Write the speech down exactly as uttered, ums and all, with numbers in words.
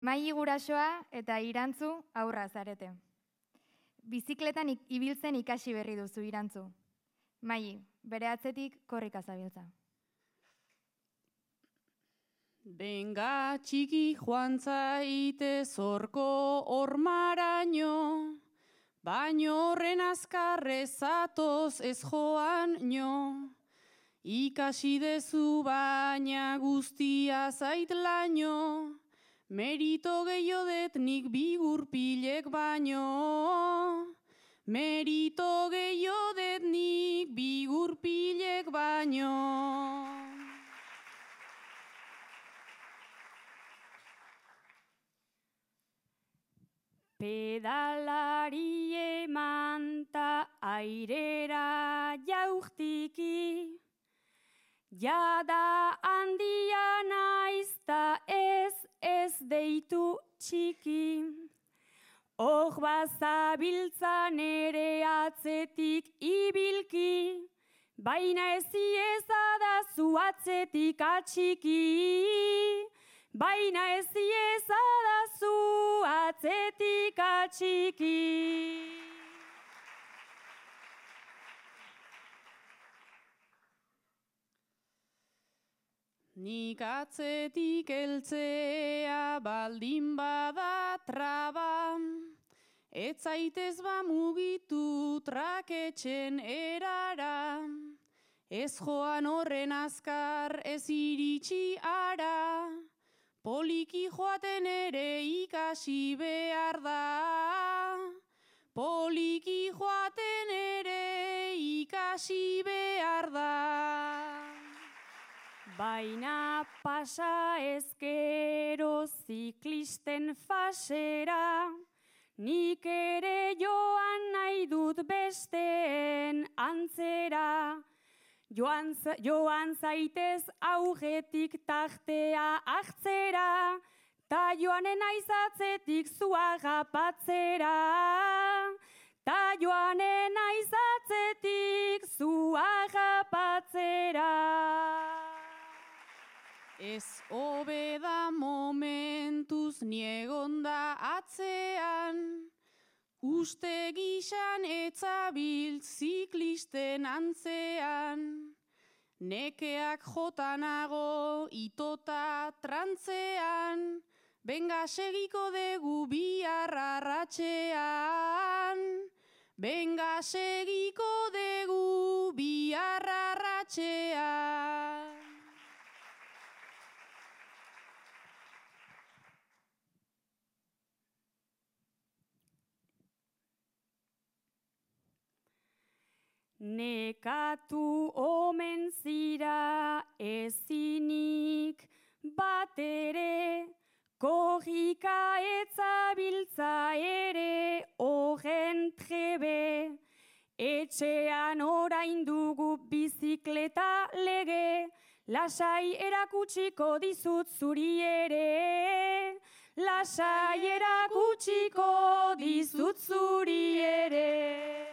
Mai gurasoa eta Irantzu aurra zarete. Bizikletan ibiltzen ikasi berri duzu Irantzu. Mai, bere atzetik korrika zabiltza. Benga txiki joan zaite zorko ormaraino, baino horren azkarrez zatoz ez joan nio. Ikasi dezu baina guztia zait laino, merito gehiodet nik bigurpilek baino. Merito gehiodet nik bigurpilek baino. Pedalari emanta airera jaurtiki, jada handia naizta ez ez deitu txiki. Hor bazabiltzan ere atzetik ibilki, baina ezi ezadazu atzetik atxiki. Baina ezi ezadazu atzetik atxiki. Nik atzetik heltzea baldin bada traba, ez zaitez ba mugitu traketxen erara, ez joan horren azkar ez iritsi ara, poliki joaten ere ikasi behar da, poliki joaten ere ikasi behar da. Baina pasa ezkero ziklisten fasera, nik ere joan nahi dut besteen antzera. Joan, joan zaitez aurretik tartea hartzera, ta joanen aizatzetik zua rapatzera. Ta joanen aizatzetik zua rapatzera. Ez hobeda momentuz niegonda atzean, uste gixan etzabil ziklisten antzean, nekeak jotanago itota trantzean, benga segiko degu bihar arratxean, benga segiko degu bihar arratxean. Nekatu omen zira ezinik bat ere, korrika etzabiltza ere horren trebe. Etxean orain dugu bizikleta lege, lasai erakutsiko dizut zuri ere. Lasai erakutsiko dizut zuri ere.